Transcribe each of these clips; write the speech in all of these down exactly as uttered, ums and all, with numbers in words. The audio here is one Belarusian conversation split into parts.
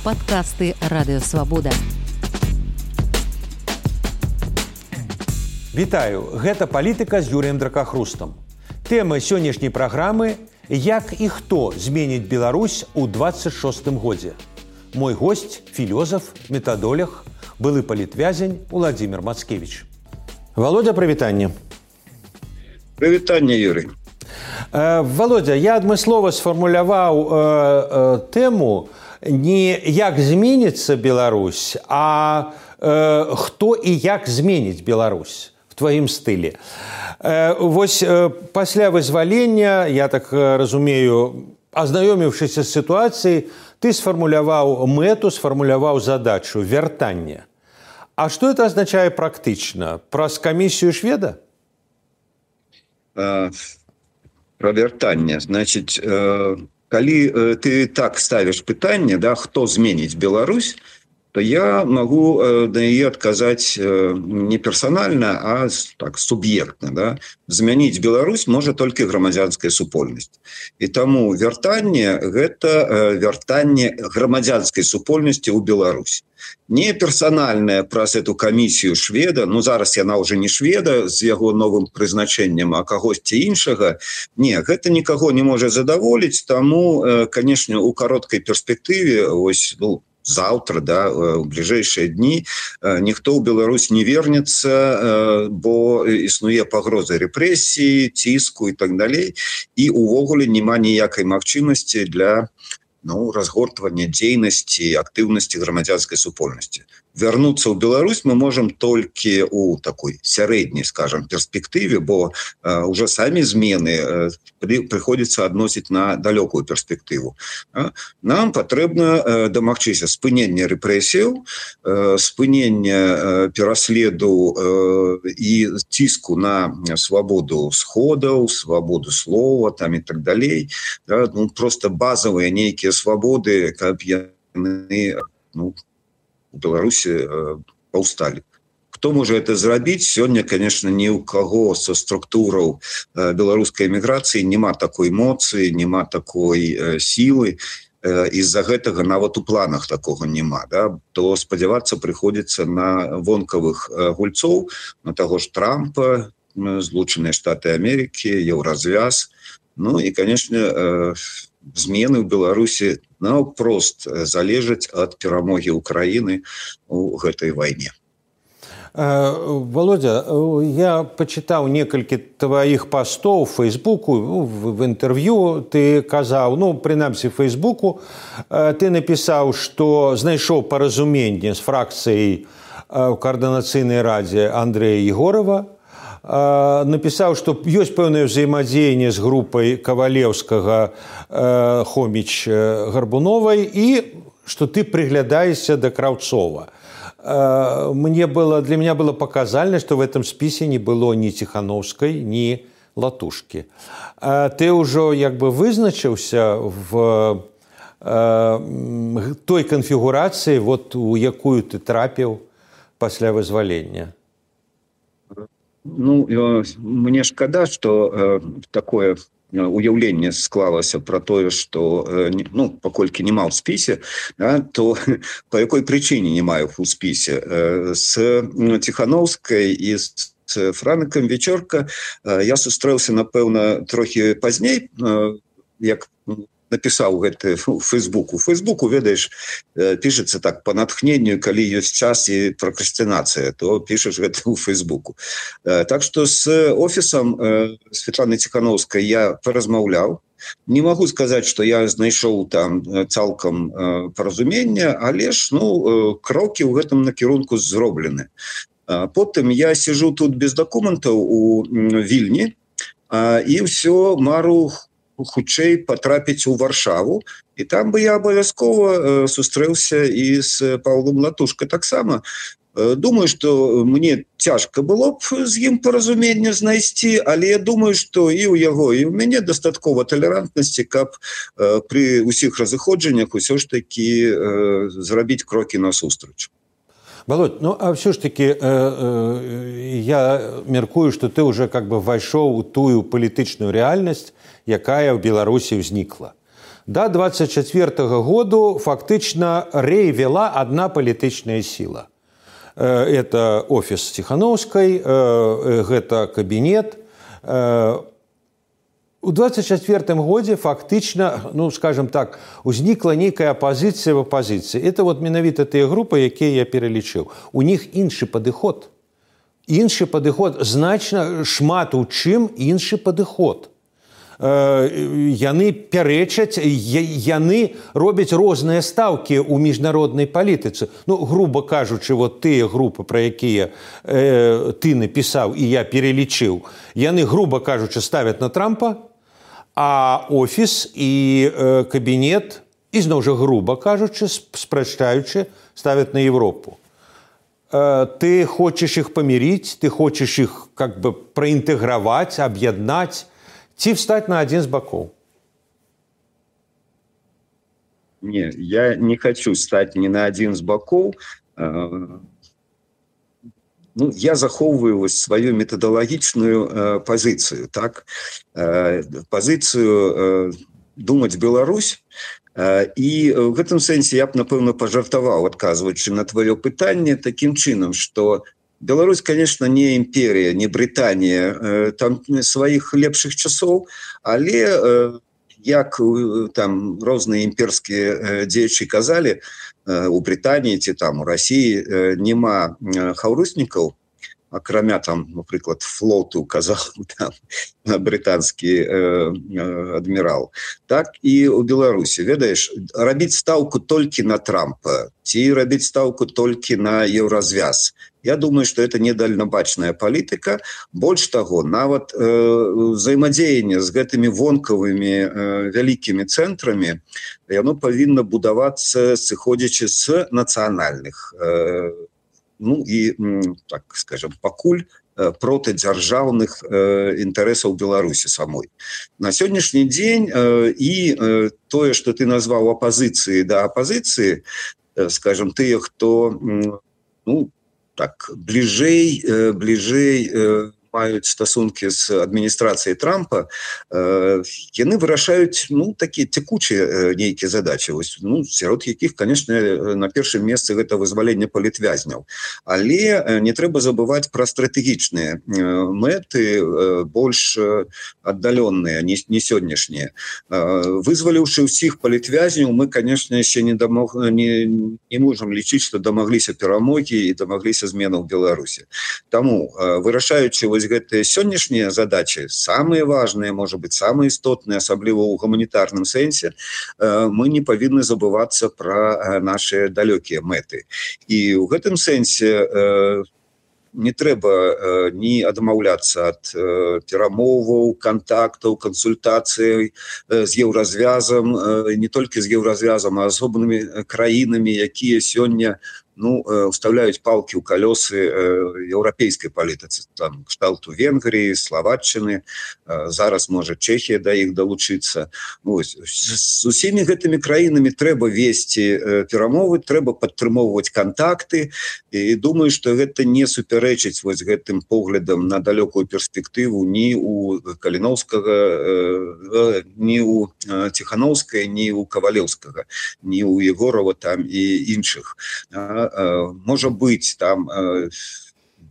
Падкасты Радыёвабода. Вітаю, гэта палітыка з Юрыем Дракахрустам. Тэма сённяшняй праграмы – як і хто зменіць Беларусь у дваццаць шостым годзе. Мой госць – філёзаф, метадолог, былы палітвязень Уладзімір Мацкевіч. Володя, прывітанне. Прывітанне, Юрый. Э, Володя, я адмыслова сфармуляваў э, э, тэму не як зменіцца Беларусь, а э, хто і як зменіць Беларусь в тваім стылі. Э, вось э, пасля вызвалення, я так разумею, азнаёміўшыся з сітуацыяй, ты сфармуляваў мэту, сфармуляваў задачу вяртання. А што это азначае практычна? Праз камісію шведа? Про вяртанне. Значит, калі ты так ставишь пытанне, да, хто зменіць Беларусь, то я могу на яе адказаць не персанальна, а так суб'ектна. Да? Змяніць Беларусь можа толькі грамадзянская супольнасць. І таму вяртанне – гэта вяртанне грамадзянскай супольнасці ў Беларусь. Не персанальная праз эту камісію шведа, ну зараз яна ўжо не шведа з яго новым прызначэннем, а кагосьці іншага. Не, гэта нікаго не можа задаволіць, таму, канешне, у кароткай перспектыве, ось, ну, заўтра, да, у бліжэйшыя дні ніхто ў Беларусь не вернецца, бо існуе пагроза рэпрэсіі, ціску і так далей, і увогуле няма ніякай магчымасці для ну, разгортвання дзейнасці, актыўнасці грамадзянскай супольнасці. Вярнуцца ў Беларусь мы можам толькі ў такой сярэдняй, скажам, перспектыве, бо э, уже самі змены э, при, прыходзіцца адносіць на далёкую перспектыву. А? Нам патрэбна э, дамагчыся спынення рэпрэсіяў, э, спынення э, пераследу э, і ціску на свабоду сходаў, свабоду слова там і так далей. Да? Ну, просто базавыя нейкія свабоды, каб яны, ну, у Беларусі э, паўсталі. Хто можа это зрабіць? Сёння, конечно, ні ў каго са структураў э, беларускай эміграцыі няма такой моцы, няма такой э, сілы, э, і-за гэтага нават у планах такога няма. Да? То спадзявацца прыходзіцца на вонкавых э, гульцоў, на таго ж Трампа, Злучаныя Штаты Амерыкі, Еўразвяз. Ну і, конечно, э, змены ў Беларусі наўпрост залежаць ад перамогі Украіны ў гэтай вайне. Володя, я пачытаў некалькі тваіх пастоў в Фейсбуку, в інтэрв'ю ты казаў, ну, прынамсі в Фейсбуку, ты напісаў, што знайшоў паразуменне з фракцыяй ў каардынацыйнай радзе Андрэя Егорова, напісаў, што ёсць пэўнае ўзаемадзеянне з групай Кавалеўскага, Хоміч, Гарбуновай і што ты прыглядаешся да Краўцова. Мне было, для меня было показательно, что в этом списе не было ни Тихановской, ни Латушки. Ты уже як бы вызначыўся в той канфігурацыі, вот, у якую ты трапіў пасля вызвалення? Ну, мне шкада, што э, такое уяўленне склалася пра тое, што, э, ну, паколькі нема ў спісе, да, то па якой прычыне не маю ў спісе. Э, з Тихановскай і з Франкам Вечорка э, я сустрэўся, напэўна, трохі пазней, э, як напісаў гэты у Фейсбуку. У Фейсбуку, ведаеш, пішацца так па натхненню, калі ёсць час і пракрастынацыя, то пішаш гэта ў Фейсбуку. Так што з офісам Светланы Тихановскай я паразмаўляў. Не магу сказаць, што я знайшоў там цалкам паразумення, але ж, ну, крокі ў гэтым накірунку зроблены. Потым я сижу тут без дакументаў у Вільні і ўсё мару хутчэй патрапіць у Варшаву, і там бы я абавязкова сустрэўся і з Паўлом Латушкай таксама. Думаю, што мне цяжка было б з ім паразуменне знайсці, але я думаю, што і ў яго, і ў мяне дастаткова талерантнасці, каб пры ўсіх разыходжаннях усё ж такі зрабіць крокі насустрач. Володь, ну а все ж таки э, э, я мяркую, что ты уже как бы вайшоў у тую палітычную рэальнасць, якая ў Беларусі ўзнікла. до двадцать четвёртага году фактычна рэй вела одна палітычная сіла. Это офіс Ціханаўскай, гэта кабінет. У двадцать четвёртым годзе фактычна, ну, скажем так, узнікла нейкая апазіцыя в апазіцыі. Это вот менавіта тыя групы, якія я пералічыў. У них іншы падыход. Іншы падыход, значна шмат у чым іншы падыход. Яны пярэчаць, яны робяць розныя стаўкі ў міжнароднай палітыцы. Ну, груба кажучы, вот тыя групы, пра якія э, ты напісаў і я пералічыў, яны, груба кажучы, ставяць на Трампа, а офіс і э, кабінет, і зноў жа груба кажучы, спрачаючы, ставяць на Европу. Э, ты хочаш іх памірыць, ты хочаш іх как бы праінтэграваць, аб'яднаць, ці встаць на адзін з бакоў? Не, я не хочу стаць ни на адзін з бакоў. Ну, я захоўваю вось сваю метадалагічную э, пазіцыю, так? Э, пазіцыю э, думаць Беларусь. Э, і в гэтым сэнсе я б, напэўна, пажартаваў, адказваючы на твоё пытанне, такім чынам, што Беларусь, конечно, не імперія, не Брытанія, э, там сваіх лепшых часоў, але э, як там розныя імперскія э, дзеячы казалі, у Брытаніі ці там у Расіі няма хаўруснікаў, акрамя там, напрыклад, флоту, казаў там брытанскі э, адмірал. Так і у Беларусі, ведаеш, рабіць стаўку толькі на Трампа, ці рабіць стаўку толькі на еўразвяз. Я думаю, што это недальнабачная палітыка. Больш таго, нават э, взаимадзеянне з гэтымі вонкавымі э, вялікімі цэнтрамі, яно павінна будавацца, сыходзячы з нацыянальных, э, ну і, так скажем, пакуль протидзяржаўных э, інтарэсаў Беларусі самой. На сённяшні дзень э, і э, тое, што ты назваў апазіцыі да апазіцыі, э, скажем, тыя, хто, ну, так, бліжэй, э, бліжэй э, маюць стасункі з адміністрацыяй Трампа, э, яны вырашаюць, ну, такія цякучыя э, нейкія задачы, вось, ну, сярод якіх, конечно, на першым месцы гэта вызваленне палітвязняў. Але э, не трэба забываць пра стратэгічныя э, мэты, э, больш э, аддаленныя, не, не сённяшнія. Э, вызваліўшы ўсіх палітвязняў, мы, конечно, яшчэ не, дамог, не, не можам лічыць, што дамагліся перамогі і дамагліся зменаў у Беларусі. Таму, э, вырашаючы вось гэтыя сённяшнія задачы, самыя важныя, можа быць, самыя істотныя, асабліва ў гуманітарным сэнсе, мы не павінны забывацца пра нашыя далёкія мэты. І ў гэтым сэнсе не трэба ні адмаўляцца ад перамоваў, кантактаў, кансультацый з еўразвязам, не толькі з еўразвязам, а асобнымі краінамі, якія сёння, ну, уставляюць палкі ў калёсы еўрапейскай палітыцы, там, кшталту Венгрыі, Словаччыны, зараз можа Чэхія да іх далучыцца. Вось. З усімі гэтымі краінамі трэба весці перамовы, трэба падтрымоўваць кантакты, і думаю, што гэта не супярэчыць вось гэтым поглядам на далёкую перспектыву ні у Каліноўскага, ні у Ціханаўскай, ні у Кавалеўскага, ні у Егорова там і іншых. Можа быць, там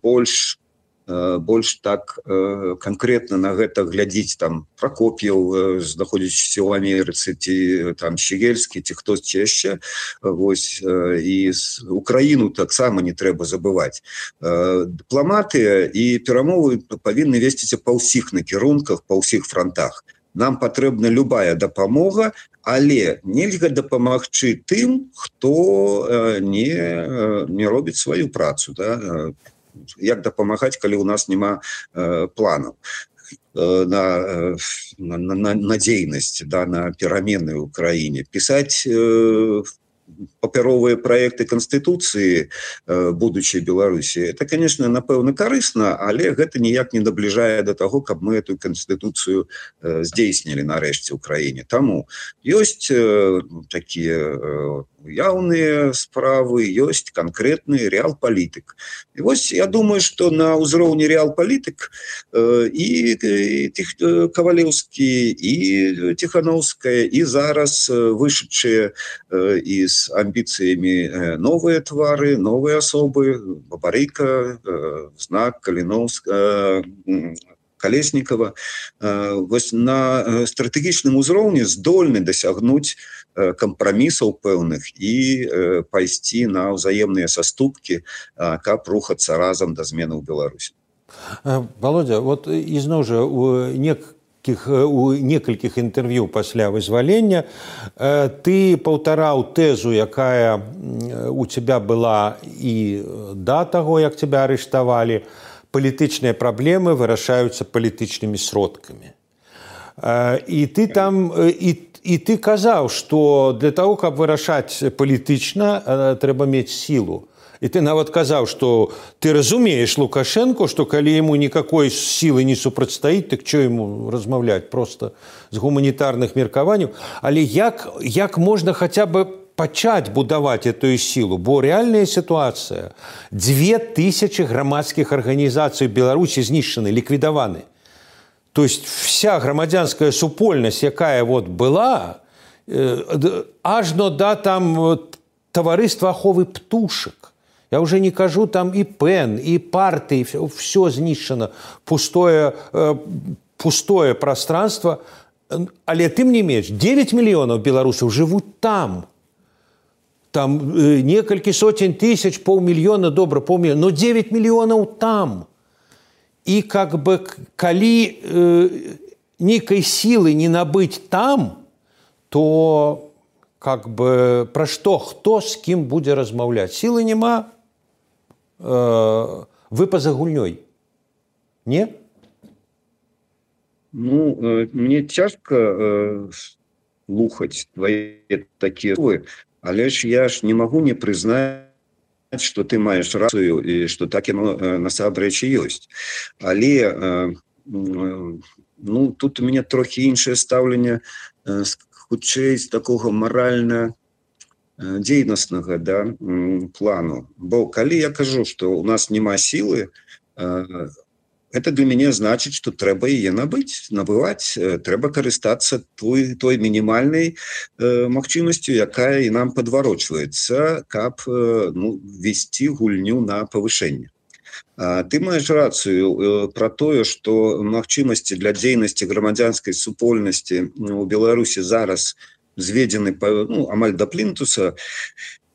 больш, больш так канкрэтна на гэта глядзіць там Прокоп'еў, знаходзячыся ў Амерыцы, ці там Щегельскі, ці хтосьці яшчэ. Вось, і Украіну таксама не трэба забываць. Дыпламатыя і перамовы павінны весціся па ўсіх накірунках, па ўсіх фронтах. Нам патрэбна любая дапамога, але нельга дапамагчы тым, хто не, не робіць сваю працу. Да? Як дапамагаць, калі ў нас няма планаў на, на, на, на дзейнасць, да, на перамены ў краіне. Пісаць папяровыя праекты Канстытуцыі будучай Беларусі. Это, конечно, напэўна, карысна, але гэта ніяк не набліжае до таго, каб мы эту Канстытуцыю здзейснілі нарэшце ў краіне. Таму ёсць такія яўныя справы, ёсць канкрэтны рэал-палітык. І вось я думаю, што на ўзроўні рэал-палітык і Кавалеўскі, і Ціханаўская, і зараз вышедшыя і з амбіцыямі новыя твары, новыя асобы, Бабарыка, Знак, Каліноўска, Калеснікава, вось на стратэгічным узроўні здольны дасягнуць кампрамісаў пэўных і пайсці на ўзаемныя саступкі, каб рухацца разам да змены ў Беларусі. Володя, вот ізноў жа у некалькіх, у некалькіх інтэрв'ю пасля вызвалення ты паўтараў тэзу, якая у тебя была і да таго, як тебя арыштавалі: палітычныя праблемы вырашаюцца палітычнымі сродкамі. І ты там і І ты казаў, што для того, каб вырашаць палітычна, трэба мець сілу. І ты нават казаў, што ты разумееш Лукашенко, што калі яму никакой сілы не супрацьстаіць, так што яму размаўляць проста з гуманітарных меркаванняў. Але як, як можна хаця бы пачаць будаваць эту сілу? Бо рэальная сітуацыя. Дзве тысячы грамадскіх арганізацый Беларусі знішчаны, ліквідаваны. То есть вся громадянская супольность, якая вот была, э, ажно да там товариства аховы птушек. Я уже не кажу, там и пен, и парты, и все, все знищено, пустое, э, пустое пространство. Але тем не менш, девять миллионов белорусов живут там. Там э, несколько сотен тысяч, полмиллиона, добро, полмиллиона, но девять миллионов там. И как бы, коли э, некой силы не набыть там, то как бы про что, кто с кем будет размовлять? Силы нема, э, вы поза гульней. Не? Ну, э, мне тяжко э, слухать твои такие слова, але ж я ж не могу не признать, что ты маеш рацыю і што так яно насамрэч і ёсць. Але ну, тут у мяне трохі іншае стаўленне, хутчэй з такога маральна дзейнаснага, да, плану. Бо калі я кажу, што у нас няма сілы, это для мяне значыць, што трэба яе набыць, набываць, трэба карыстацца той, той мінімальнай э, магчымасцю, якая і нам падварочваецца, каб э, ну, весці гульню на павышэнне. А, ты маеш рацыю э, пра тое, што магчымасці для дзейнасці грамадзянскай супольнасці ў Беларусі зараз зведзены ну, амаль да плінтуса,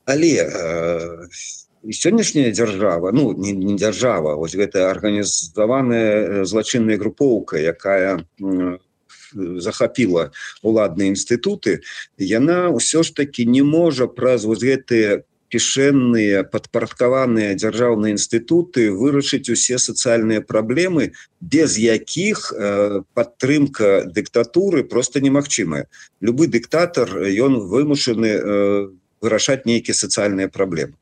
але э, і сённяшняя дзяржава, ну, не, не дзяржава, вось гэта арганізаваная злачынная групоўка, якая м, захапіла уладныя інстытуты, яна ўсё ж такі не можа праз вось гэтыя кішэнныя, падпарадкаваныя дзяржаўныя інстытуты вырашыць усе сацыяльныя праблемы, без якіх э, падтрымка дыктатуры проста немагчымая. Любы дыктатар, ён вымушаны э, вырашаць нейкія сацыяльныя праблемы.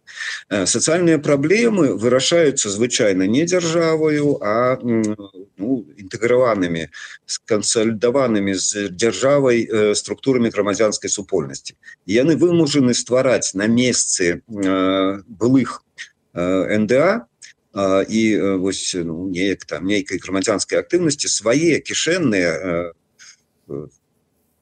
Сацыяльныя праблемы вырашаюцца звычайна не дзяржаваю, а ну, інтэграванымі, скансалідаванымі з дзяржавай структурамі грамадзянскай супольнасці. Яны вымушаны ствараць на месцы былых эн дэ а і вось ну, неяк там нейкай грамадзянскай актыўнасці свае кішэнныя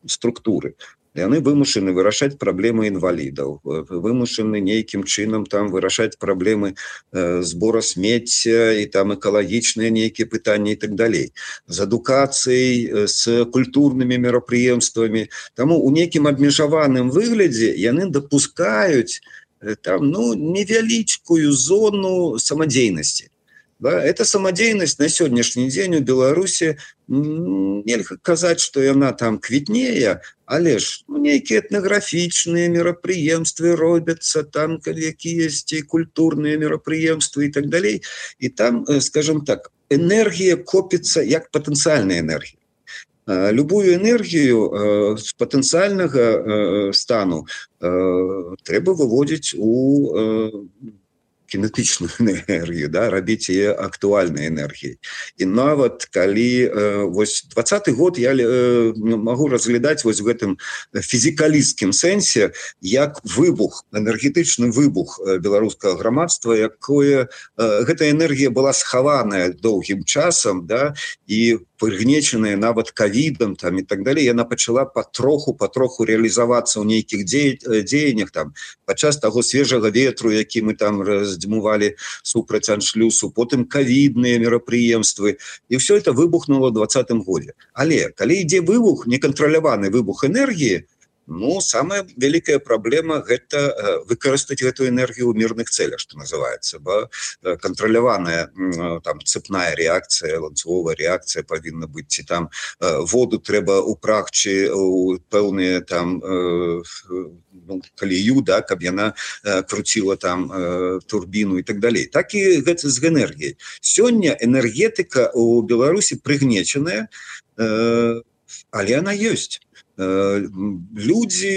структуры. Яны вымушаны вырашаць праблемы інвалідаў, вымушаны нейкім чынам там вырашаць праблемы э, збора смецця і там экалагічныя нейкія пытанні і так далей. З адукацыяй, з культурнымі мерапрыемствамі. Таму у нейкім абмежаваным выглядзе яны дапускаюць э, там ну невялічкую зону самадзейнасці. Да, эта самадзейнасць на сённяшні дзень у Беларусі нельга казаць, што яна там квітнее, але ж ну, нейкія этнаграфічныя мерапрыемствы робяцца, там якіясьці культурныя мерапрыемствы і так далей. І там, скажем так, энергія копіцца як патэнцыяльная энергія. Любую энергію з патэнцыяльнага стану трэба выводзіць у кинетичную энергию, да, рабіць яе актуальнай энергіяй. І нават калі вось двадцаты год я могу разглядаць вось в гэтым фізікалісцкім сэнсе як выбух, энергетычны выбух беларускага грамадства, якое гэта энергія была схаваная доўгім часам, да, і прыгнечаная нават ковідам там і так далей, яна пачала патроху патроху реалізавацца ў нейкіх дзеяннях там падчас таго свежага ветру, які мы там раздзьмувалі супраць аншлюсу, потым ковідныя мерапрыемствы, і все это выбухнуло ў двадцатым годзе. Але калі ідзе выбух, некантраляваны выбух энергіі, ну, самая вялікая праблема – гэта выкарыстаць гэту энергію ў мірных цэлях, што называецца. Бо кантраляваная там цепная реакцыя, ланцуговая реакцыя павінна быць, ці там воду трэба упрагчы у пэўныя там ну, калію, да, каб яна круціла там турбіну і так далей. Так і гэта з энергіяй. Сёння энергетыка ў Беларусі прыгнечаная, але яна ёсць. Людзі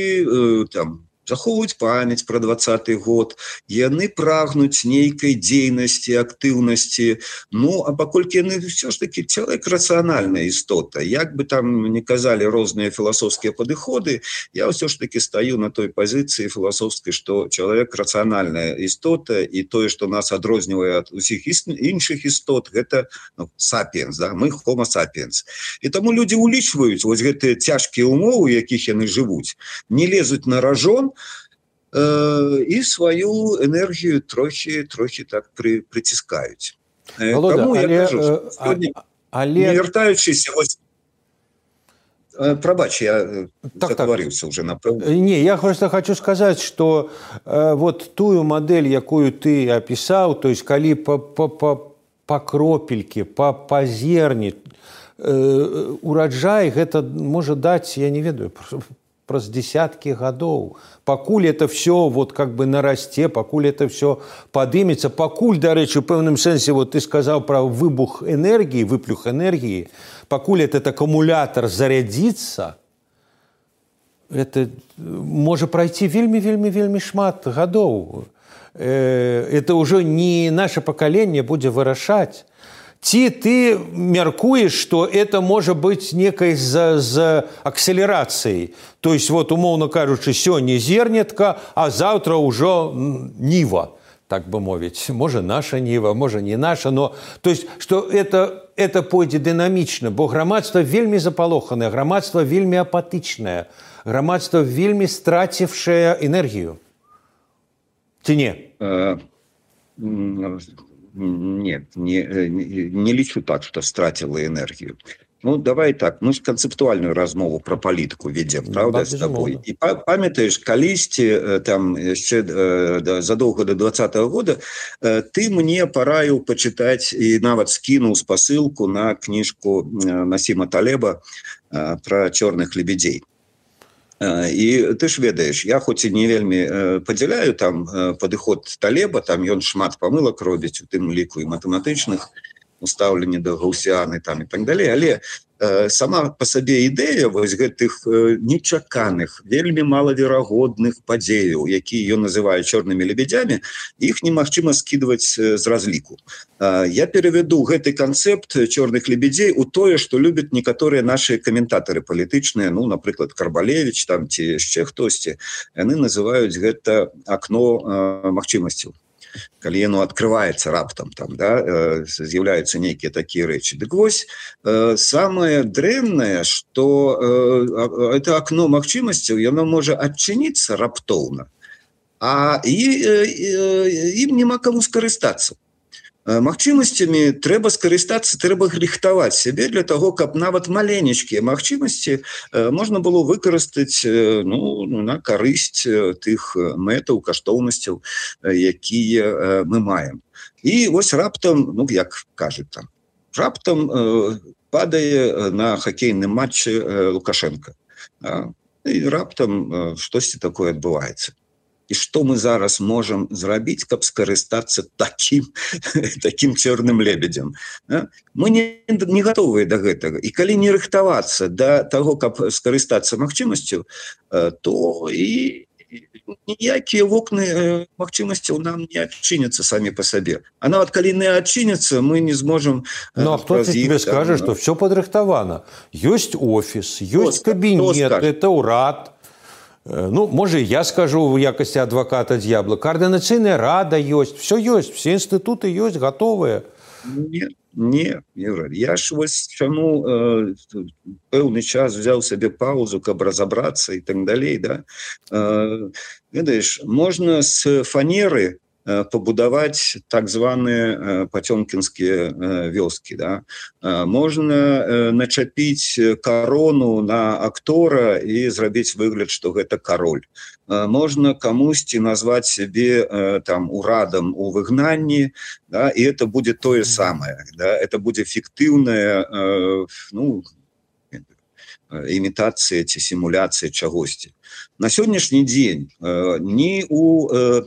там захоўваюць памяць пра двадцаты год, яны прагнуць нейкай дзейнасці, актыўнасці, ну, а паколькі яны все ж таки чалавек рацыянальная істота, як бы там не казалі розныя філасофскія падыходы, я ўсё ж таки стаю на той пазіцыі філасофскай, што чалавек рацыянальная істота, і тое, што нас адрознівае ад усіх іншых істот, гэта ну, сапіенс, да? Мы homo sapiens. І таму людзі улічваюць вось гэтыя цяжкія ўмовы, у якіх яны жывуць, не лезуць на ражон, і сваю энергію трохі, трохі так при, притискають. Володя, Тому я але, кажу, що сьогодні, але... не вертаючись, ось... Пробач, я так, заговорився так. вже, напевно. Не, я просто хочу сказать, что э, вот тую модель, якую ты описал, то есть, коли по, по, по, по кропельке, по, по зерне, э, урожай, это может дать, я не ведаю, праз десятки годов. Покуль это все вот как бы нарасте, покуль это все подымется, покуль, до речи, в певном сенсе, вот ты сказал про выбух энергии, выплюх энергии, покуль этот аккумулятор зарядится, это может пройти вельми-вельми-вельми шмат годов. Это уже не наше поколение будет вырашать. Ці ты мяркуеш, што это можа быць некай з, з акселерацыяй. То есть, вот, умоўна кажучы, сёння зернятка, а заўтра ўжо ніва, так бы мовіць. Можа, наша ніва, можа, не наша, но... То есть, што это, это пойдзе дынамічна, бо грамадства вельмі запалоханае, грамадства вельмі апатычнае, грамадства вельмі страцівшае энергію. Ці не? Нет, не, не лічу так, что стратила энергию. Ну, давай так, мы ж канцэптуальную размову про палітыку ведем, правда, с тобой. И памятаешь, калісьці, там, еще задолго до двадцатого года, ты мне пораил почитать и нават скинул спасылку на книжку Насима Талеба про черных лебедей. І ты ж ведаеш, я хоць і не вельмі падзяляю там падыход Талеба, там ён шмат памылак робіць, у тым ліку і матэматычных, устаўленне да гаўсіяны там і так далей, але э, сама па сабе ідэя вось гэтых э, нечаканых, вельмі малаверагодных падзеяў, якія ён называе чорнымі лебедзямі, іх немагчыма скідваць э, з разліку. Э, я перавяду гэты канцэпт чорных лебедзей у тое, што любяць некаторыя нашы каментатары палітычныя, ну, напрыклад, Карбалевіч там ці яшчэ хтосьці, яны называюць гэта акно э, магчымасцяў. Калі яно открываецца раптам, там, да, з'яўляюцца нейкія такія рэчы. Дык вось, самае дрэннае, што это акно магчымасцяў, яно можа адчыніцца раптоўна, а і, і, ім няма каму скарыстацца. Магчымасцямі трэба скарыстацца, трэба рыхтаваць сябе для таго, каб нават маленечкія магчымасці можна было выкарыстаць ну, на карысць тых мэтаў, каштоўнасцяў, якія мы маем. І вось раптам, ну, як кажуць там, раптам падае на хакейным матчы Лукашенко. І раптам штосьці такое адбываецца. і што мы зараз можам зрабіць, каб скарыстацца такім, такім чорным лебедзем. Мы не, не гатовыя да гэтага. І калі не рыхтавацца да таго, каб скарыстацца магчымасцю, то і ніякія вокны магчымасцяў нам не адчыняцца самі па сабе. А нават калі не адчыняцца, мы не зможам... Ну, а хто тебе скажа, што все падрыхтавана? Ёсць офіс, ёсць кабінет, это ўрад. Ну, можа, я скажу в якасці адваката д'ябла. Координацыйная рада ёсць, все ёсць, все інстытуты ёсць, готовыя. Не, не, Юра, я ж вось чаму э, пэўны час взял себе паузу, каб разобраться и так далей, да. Э, ведаеш, можно с фанеры э, побудовать так званые э, потёмкинские э, вёски, да. Э, можно э, начапить корону на актора и зрабіць выгляд, что гэта король. Можно камусьці назвать себе э, там урадом у выгнанні, да, и это будет то же самое, да, это будет фиктивная э, ну, имитация ці симуляция чагосьці. На сённяшні дзень э, ні у э,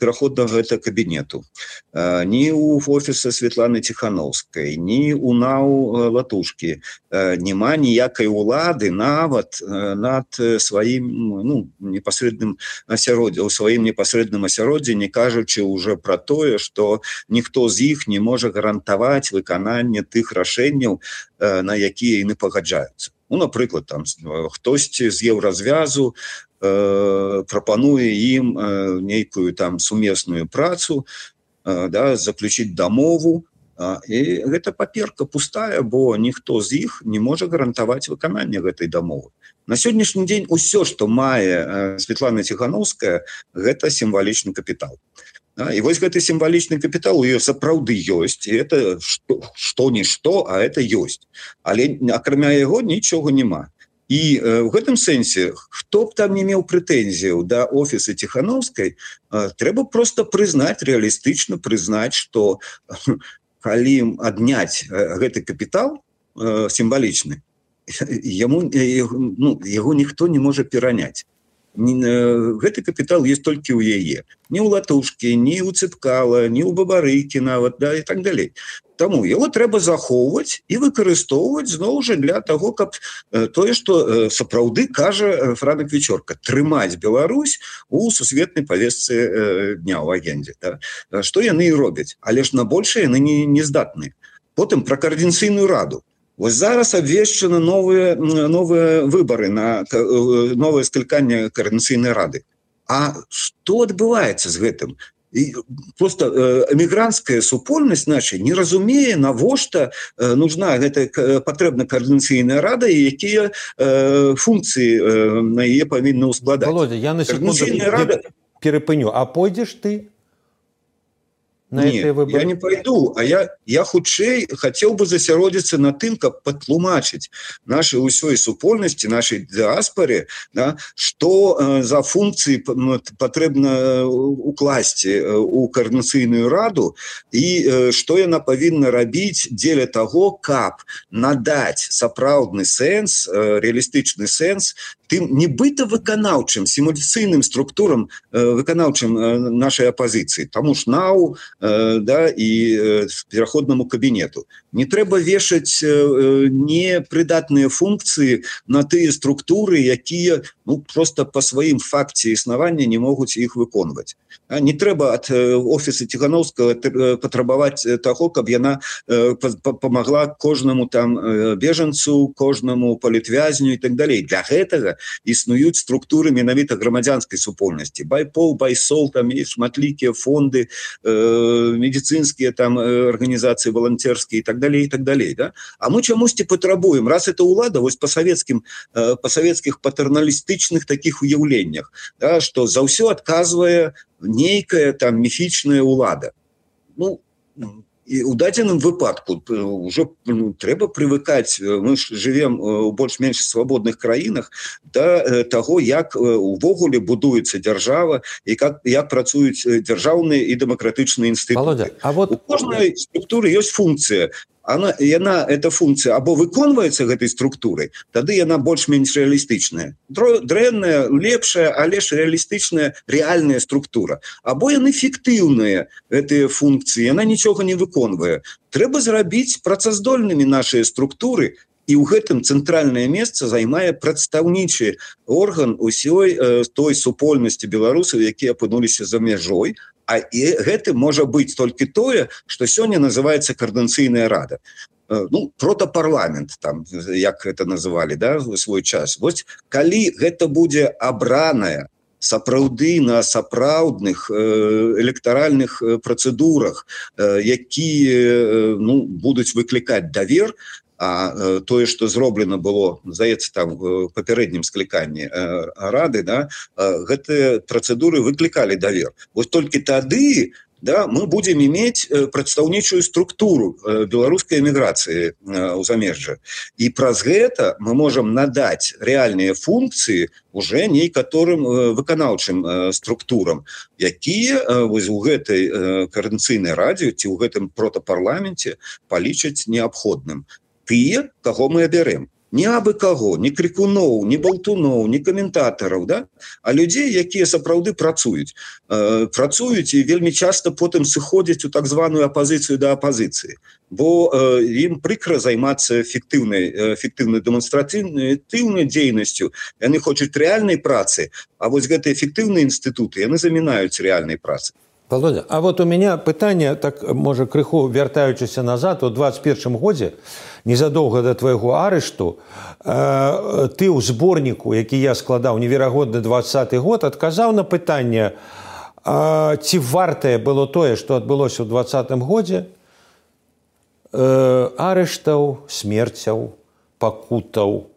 пераходнага гэта кабінету, э, ні у офіса Светланы Тихановскай, ні у НАУ э, Латушкі э, няма ніякай улады нават э, над сваім ну, непасрэдным асяроддзем, у сваім непасрэдным асяроддзі, не кажучы уже пра тое, што ніхто з іх не можа гарантаваць выкананне тых рашэнняў, э, на якія яны пагаджаюцца. Ну, напрыклад, там хтосьці з еўразвязу э, прапануе ім э, нейкую там сумесную працу, э, да, заключіць дамову, э, і гэта паперка пустая, бо ніхто з іх не можа гарантаваць выкананне гэтай дамовы. На сённяшні дзень усё, што мае э, Светлана Тихановская, гэта сімвалічны капітал. Да, і вось гэты сімвалічны капітал у ёй сапраўды ёсць, і это што-нішто, а это ёсць. Але акрамя яго нічога няма. І э, в гэтым сэнсе, хто б там не меў прэтэнзіяў да офіса Тихановскай, э, трэба проста прызнаць, рэалістычна прызнаць, што э, калі адняць э, гэты капітал э, сімвалічны, яму, э, ну, яго ніхто не можа пераняць. Гэты капітал есть толькі ў яе. Ні ў Латушкі, ні ў Цыпкала, ні ў Бабарыкі нават, да, і так далей. Таму яго трэба захоўваць і выкарыстоўваць зноў жа для таго, каб тое, што сапраўды кажа Франак Вечорка, трымаць Беларусь у сусветнай павестцы дня ў агендзе. Да? Што яны і робяць, але ж на большае яны не, не здатныя. Потым пра координацыйную раду. Вось зараз абвешчаны новыя, новыя выбары на новае скліканне координацыйнай рады. А што адбываецца з гэтым? І просто эмігранцкая супольнасць наша не разумее, навошта нужна гэта патрэбна координацыйная рада і якія функцыі на яе павінны ўскладаць. Володя, я на секунду рада... перепыню. А пойдзеш ты? Нет, я не пойду, а я, я хутчэй хотел бы засяродзіцца на тым, каб патлумачыць нашай усёй супольнасці, нашай дыаспоре, да, што э, за функцыі патрэбна укласці у координацыйную раду і э, што яна павінна рабіць дзеля таго, каб надаць сапраўдны сэнс, э, реалістычны сэнс тым нібыта выканаўчым, сімуляцыйным структурам э, выканаўчым э, нашай апазіцыі. Таму ж НАУ да, і пераходнаму кабінету. Не трэба вешаць непрыдатныя функцыі на тыя структуры, якія ну, просто па сваім факце існавання не могуць іх выконваць. Не трэба ад офіса Тихановскага патрабаваць таго, каб яна памагла кожнаму там бежанцу, кожнаму палітвязню і так далей. Для гэтага існуюць структуры менавіта грамадзянскай супольнасці. Байпол, Байсол, там есть шматлікія фонды, медицинские там организации волонтерские и так далее, и так далее, да? А мы чамусьці патрабуем, раз это улада, вось по советским, по советских патерналістычных таких уяўленнях, да, что за ўсё адказвае нейкая там міфічная улада. Ну, і у дадзеным выпадку уже ну, трэба прывыкаць, мы ж живем у больш-менш свабодных краінах да таго, як увогуле будуецца дзяржава і как, як працуюць дзяржаўныя і дэмакратычныя інстытуты. Володя, а вот... У кожнай структуры ёсць функцыя она, яна эта функция або выконваецца гэтай структурай, тады яна больш-менш рэалістычная. Дрэнная, лепшая, але ж рэалістычная рэальная структура. Або яны фіктыўныя, гэтыя функцыі, яна нічога не выконвае. Трэба зрабіць працаздольнымі нашыя структуры, і ў гэтым цэнтральнае месца займае прадстаўнічы орган усёй э, той супольнасці беларусаў, якія апынуліся за мяжой, а і гэтым можа быць толькі тое, што сёння называецца коордынацыйная рада. Э, ну, протапарламент, там, як гэта называлі, да, в свой час. Вось, калі гэта будзе абраная сапраўды на сапраўдных электаральных працэдурах, якія ну, будуць выклікаць давер, а тое, што зроблена было, здаецца, там в папярэднім скліканні рады, да, гэтыя працэдуры выклікалі давер. Вось толькі тады, да, мы будем иметь прадстаўнічую структуру беларускай эміграцыі ў замежжа. І праз гэта мы можем надаць рэальныя функцыі уже некаторым выканаўчым структурам, якія вось у гэтай коордынацыйнай радзе ці ў гэтым протапарламенце палічаць неабходным. Тыя, каго мы абярем. Не абы каго, не крикуноў, не болтуноў, не каментатараў, да? А людзей, якія сапраўды працуюць. Э, працуюць і вельмі часта потым сыходзяць у так званую апазіцыю да апазіцыі. Бо э, ім прыкра займацца эфектыўнай, эфектыўнай дэманстратыўнай дзейнасцю. Яны хочуць рэальнай працы, а вось гэтыя эфектыўныя інстытуты, яны замінаюць рэальнай працы. Володя, а вот у меня пытанне, так, можа, крыху вяртаючыся назад, у двадцать первом годзе, незадоўга да твайго арышту, э, ты ў зборніку, які я складаў неверагодны двадцаты год, адказаў на пытанне, э, ці вартае было тое, што адбылося ў двадцатым годзе, э, арыштаў, смерцяў, пакутаў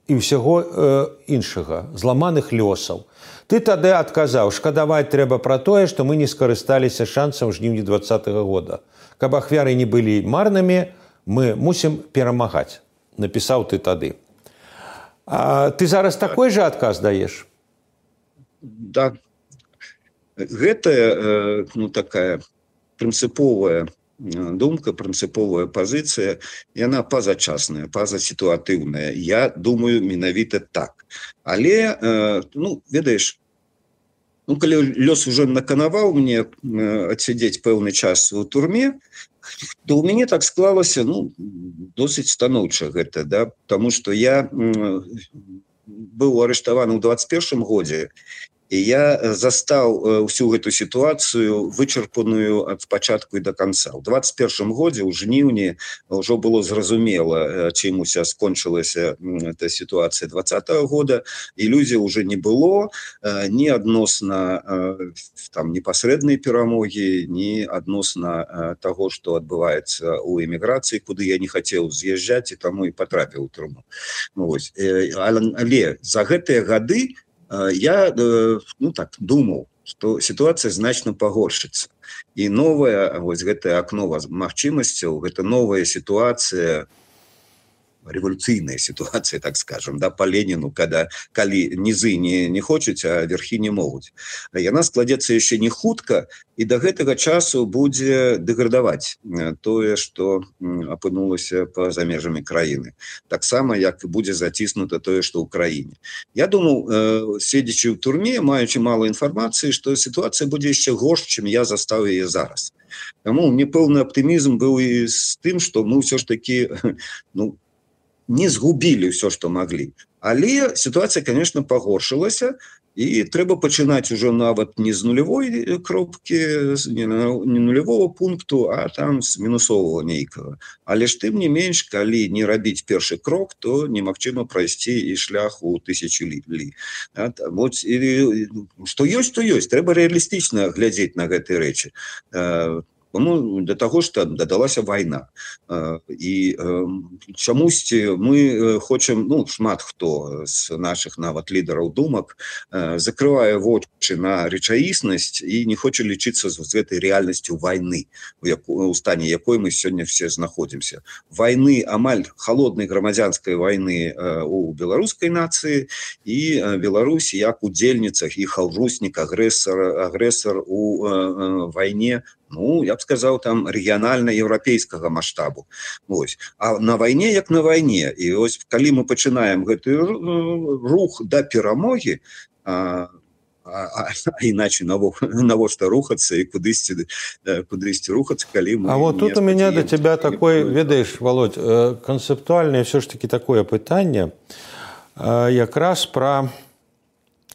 і ўсяго э, іншага, зламаных лёсаў. Ты тады адказаў, шкадаваць трэба пра тое, што мы не скарысталіся шансам жніўні двадцатага года. Каб ахвяры не былі марнымі, мы мусім перамагаць. Напісаў ты тады. А ты зараз такой жа адказ даеш? Да. Гэта ну, такая прынцыповая думка, прынцыповая пазіцыя, яна пазачасная, пазасітуатыўная. Я думаю, менавіта так. Але, ну, ведаеш, ну, калі лёс уже наканаваў мне адсядзець пэўны час у турме, то ў мяне так склалася, ну, досыць станоўча гэта, да, таму што я быў арыштаваны ў двадцать первом годзе, і я застаў усю гэту сітуацыю вычарпаную ад пачатку і да канца. У двадцать первом годзе, у жніўні, ўжо было зразумела, чым уся скончылася эта сітуацыя двадцатого года. Ілюзій уже не было ні адносна там непасрэднай перамогі, ні адносна таго, што адбываецца ў эміграцыі, куды я не хацеў з'язджаць і таму і патрапіў у турму. Ну, вось. Але за гэтыя гады я ну, так, думаў, што сітуацыя значна пагоршыцца. І новая, вось гэтае акно магчымасцяў, гэта новая сітуацыя, рэвалюцыйная сітуацыя, так скажем, да, па Леніну, когда, калі нізы не, не хочуць, а верхі не могуць. Яна складзецца яшчэ не хутка, і да гэтага часу будзе дэградаваць тое, што апынулася па-за межамі краіны. Таксама, як будзе заціснута тое, што ў краіне. Я думаў, седзячы ў турме, маючы мала інфармацыі, што сітуацыя будзе яшчэ горш, чым я застаў яе зараз. Таму мне пэўны аптымізм быў і з тым, што мы ўсё ж такі, ну, не згубілі ўсё, што маглі. Але сітуацыя, конечно, пагоршылася, і трэба пачынаць ужо нават не з нулявой кропкі, не нулявого пункту, а там з мінусового нейкага. Але ж тым не менш, калі не рабіць першы крок, то немагчыма прайсці і шлях у тысячу лі. Вот, і, што ёсць, то ёсць. Трэба рэалістычна глядзець на гэтыя рэчы. Ну, для таго, што дадалася вайна. І чамусьці мы хочам, ну, шмат хто з нашых нават лідараў думак закрывае вочы на рэчаіснасць і не хоча лічыцца з гэтай рэальнасцю вайны, у стане якой мы сёння все знаходзімся. Вайны, амаль халоднай грамадзянскай вайны у беларускай нацыі, і Беларусь як удзельніцах і хаўруснік, агрэсар, агрэсар у вайне ну, я б сказаў, там рэгіянальна-еўрапейскага маштабу. Вось. А на вайне як на вайне. І ось калі мы пачынаем гэты рух да перамогі, а, а, а іначай навошта рухацца і кудысьці, кудысьці рухацца, калі мы... А вот тут у меня до тебя такой, ведаеш, Володь, концептуальное все ж таки такое пытанне, якраз про,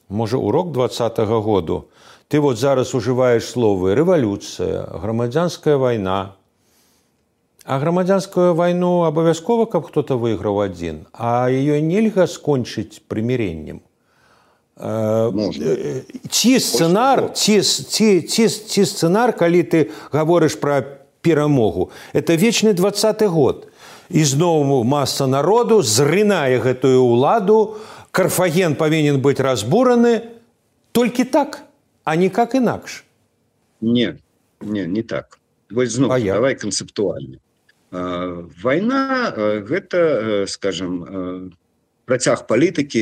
може, урок двадцатого году. Ты вот зараз уживаешь словы «революция», «громадянская война». А громадянскую войну обовязково, как кто-то выиграл один, а ее нельзя скончить примирением. Можно. Ці сценар, ці, ці, ці, ці сценар, коли ты говоришь про перемогу, это вечный двадцатый год. И снова масса народу зрынае гэтую уладу, Карфаген повинен быть разбураны. Только так, а никак инакш. Не, не, не так. Вось зноў, давай канцэптуальна. Вайна – гэта, скажем, працяг палітыкі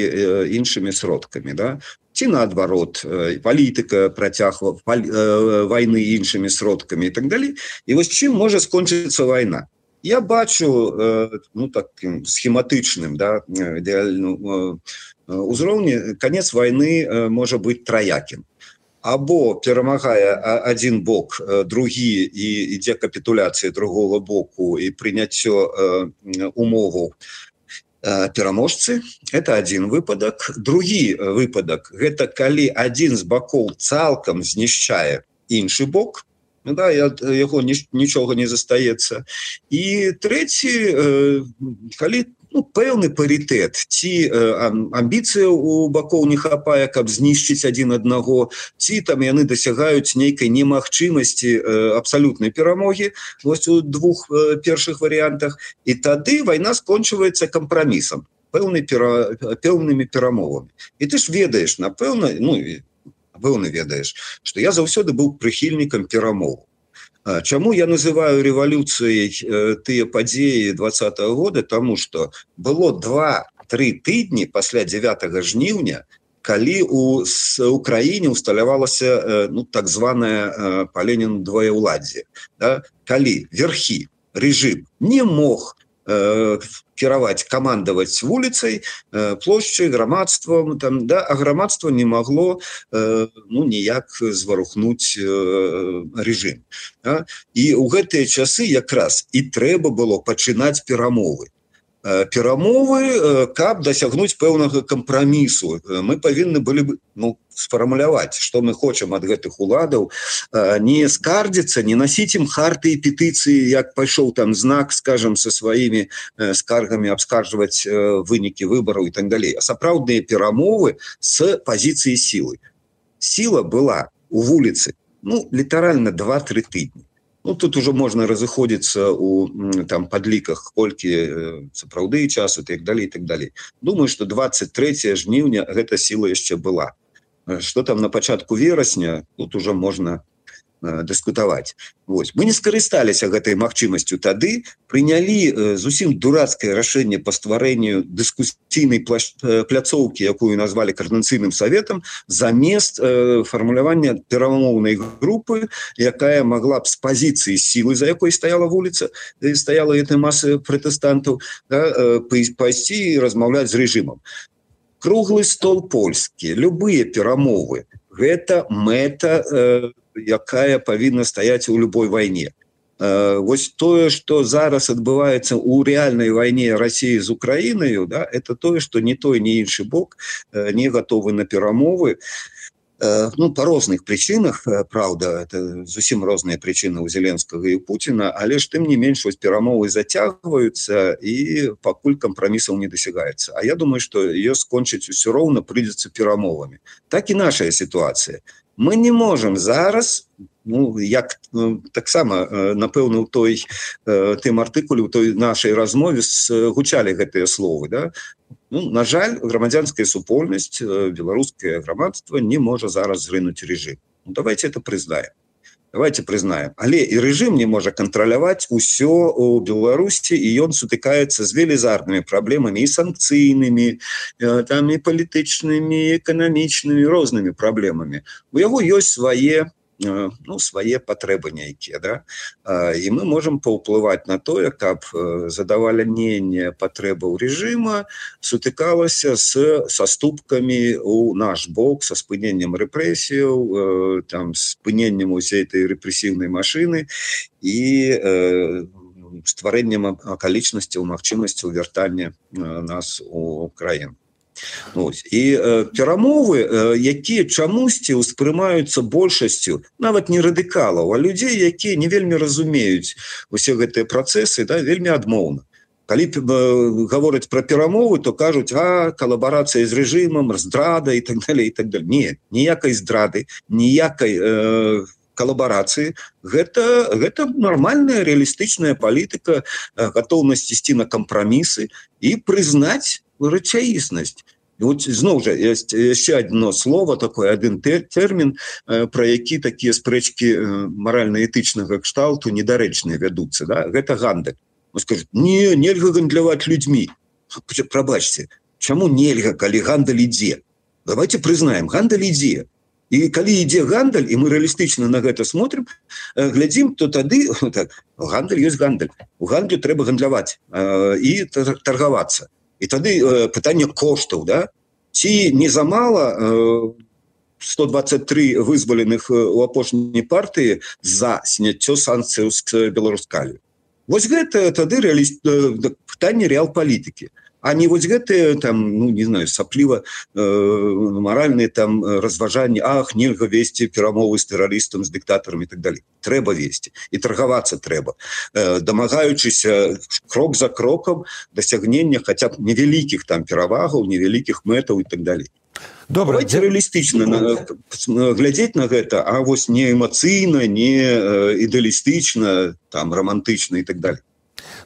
іншымі сродкамі, да? Ці наадварот, палітыка, працяг вайны іншымі сродкамі і так далей. І вось чым можа скончыцца вайна? Я бачу, ну, таким схематычным, да, ідэальным узроўні, канец вайны можа быць траякім. Або перамагае один бок, другі, і ідзе капітуляцыя другого боку і прыняццё умоваў пераможцы. Это один выпадак. Другі выпадак – гэта калі один з бакоў цалкам знішчае іншы бок, да, яго нічога не застаецца. І трэці, калі ну, пэўны парітэт, ці амбіцыя у бакоў не хапае, каб знішчыць адзін аднаго, ці там яны дасягаюць нейкай немагчымасці абсалютнай перамогі, вось у двух першых варыянтах, і тады вайна скончваецца кампрамісам, пэўнымі перамовамі. І ты ж ведаеш, напэўна, ну, напэўна ведаеш, што я заўсёды быў прыхільнікам перамоў. Чаму я называю рэвалюцыяй тыя падзеі двадцатого года? Таму што было два-тры тыдні пасля дзевятага жніўня, калі у Украіне усталявалася ну, так званае па Леніну двоеўладдзе. Да? Калі верхі, рэжым не мог кіраваць, камандаваць вуліцай, плошчай, грамадствам, там, да, а грамадства не магло ну, ніяк зварухнуць рэжым. Да? І ў гэтыя часы якраз і трэба было пачынаць перамовы. Перамовы, каб дасягнуць пэўнага кампрамісу. Мы павінны былі ну, сфармуляваць, што мы хочам ад гэтых уладаў, не скардзіцца, не насіць ім харты і петыцыі, як пайшоў там знак, скажам, са сваімі скаргамі абскарджваць вынікі выбараў і так далей. А сапраўдныя перамовы з пазіцыі сілы. Сіла была у вуліцы, ну, літаральна два-тры тыдні. Ну, тут уже можна разыходзіцца у там, падліках, колькі сапраўды часу, і так далей, і так далей. Думаю, што двадцать трэцяе жніўня гэта сіла яшчэ была. Што там на пачатку верасня, тут уже можна э, дыскутаваць. Вось. Мы не скарысталіся гэтай магчымасцю тады, прынялі зусім дурацкае рашэнне па стварэнню дыскусійнай пляцоўкі, якую назвалі Коордынацыйным саветам, замест э, фармулявання перамоўнай групы, якая могла б з пазіцыі сілы, за якой стаяла вуліца, стаяла эта маса пратэстантаў, да, э, пайсці і размаўляць з рэжымам. Круглы стол польскі, любыя перамовы – гэта мэта, э, якая павінна стаяць у любой вайне. Э, вось тое, што зараз адбываецца ў рэальнай вайне Расіі з Украінаю, да, это тое, што ні той, ні іншы бок э, не гатовы на перамовы. Э, ну, па розных прычынах, э, праўда, это зусім розныя прычыны ў Зеленскага і Пуціна, але ж тым не менш вось перамовы зацягваюцца і пакуль кампрамісаў не дасягаецца. А я думаю, што ее скончыць усё роўна прыйдзецца перамовамі. Так і нашая сітуацыя. Мы не можам зараз, ну, як ну, таксама, напэўна, у той тым артыкуле, у той нашай размове гучалі гэтыя словы, да? Ну, на жаль, грамадзянская супольнасць, беларускае грамадства не можа зараз зрынуць рэжым. Ну, давайте это прызнаем. Давайте прызнаем. Але і рэжым не можа кантраляваць усё у Беларусі, і ён сутыкаецца з велізарнымі праблемамі і санкцыйнымі, там і палітычнымі, і эканамічнымі, рознымі праблемамі. У яго ёсць свае ну, свае патрэбы нейкія, да? І мы можам паўплываць на тое, каб задавальненне патрэбаў рэжыма сутыкалася з саступкамі ў наш бок, са спыненнем рэпрэсіяў, там, спыненнем усей этой рэпрэсіўнай машыны і стварэннем акалічнасцяў, магчымасцяў вяртання нас у краіну. Ось. І э, перамовы, э, якія чамусьці ўспрымаюцца большасцю, нават не радыкалаў, а людзей, якія не вельмі разумеюць усе гэтыя працэсы, да, вельмі адмоўна. Калі э, гавораць пра перамовы, то кажуць, а, калабарацыя з рэжымам, здрада і так далее, і так далее. Не, ніякай здрады, ніякай э, калабарацыі. Гэта, гэта нармальная рэалістычная палітыка, э, гатоўнасць ісці на кампрамісы і прызнаць рэчаіснасць. І от зноў жа ёсць яшчэ одно слово, такой один тэрмін, пра які такія спрэчкі маральна-этычнага кшталту недарэчныя вядуцца, да? Гэта гандаль. Скажуць, не, нельга гандляваць людзьмі. Прабачце, чаму нельга, калі гандаль ідзе? Давайте прызнаем, гандаль ідзе. І калі ідзе гандаль, і мы рэалістычна на гэта смотрим, глядзім, то тады так, гандаль ёсць гандаль. У гандлю трэба гандляваць і таргавацца. І тады э, пытанне коштаў, да? Ці не замала э, сто двадцать три вызваленых у апошняй партыі за сняццё санкцыяў з Беларускалю. Вось гэта тады рэаліст... э, пытанне рэал-палітыкі. А не вось гэтыя там, ну, не знаю, сапліва э, маральныя там разважанні, ах, нельга весці перамовы з тэрарыстам, з дыктатарам і так далее. Трэба весці. І таргавацца трэба. Э, дамагаючыся крок за крокам дасягнення хаця б невялікіх там перавагаў, невялікіх мэтаў і так далее. Добра, давайте рэалістычна на, глядзець на гэта, а вось не эмацыйна, не ідэалістычна, там, романтычна і так далее.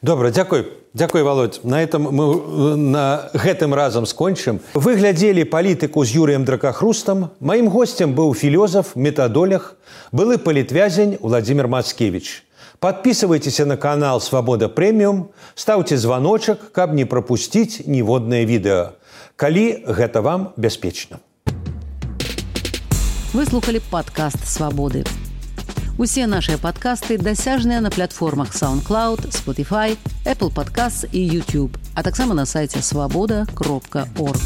Добра, дзякуй. Дзякуй, Володь. На этом мы на гэтым разам скончым. Вы глядзелі палітыку з Юрыем Дракахрустам. Маім госцем быў філёзаф, метадолог, былы палітвязень Владимир Мацкевич. Подписывайтеся на канал «Свобода Премиум», ставьте звоночек, каб не пропустить ніводнае відэа. Калі гэта вам бяспечна. Вы слухали падкаст «Свободы». Усе нашыя падкасты дасяжныя на платформах SoundCloud, Spotify, Apple Podcasts і YouTube, а таксама на сайце свобода кропка орг.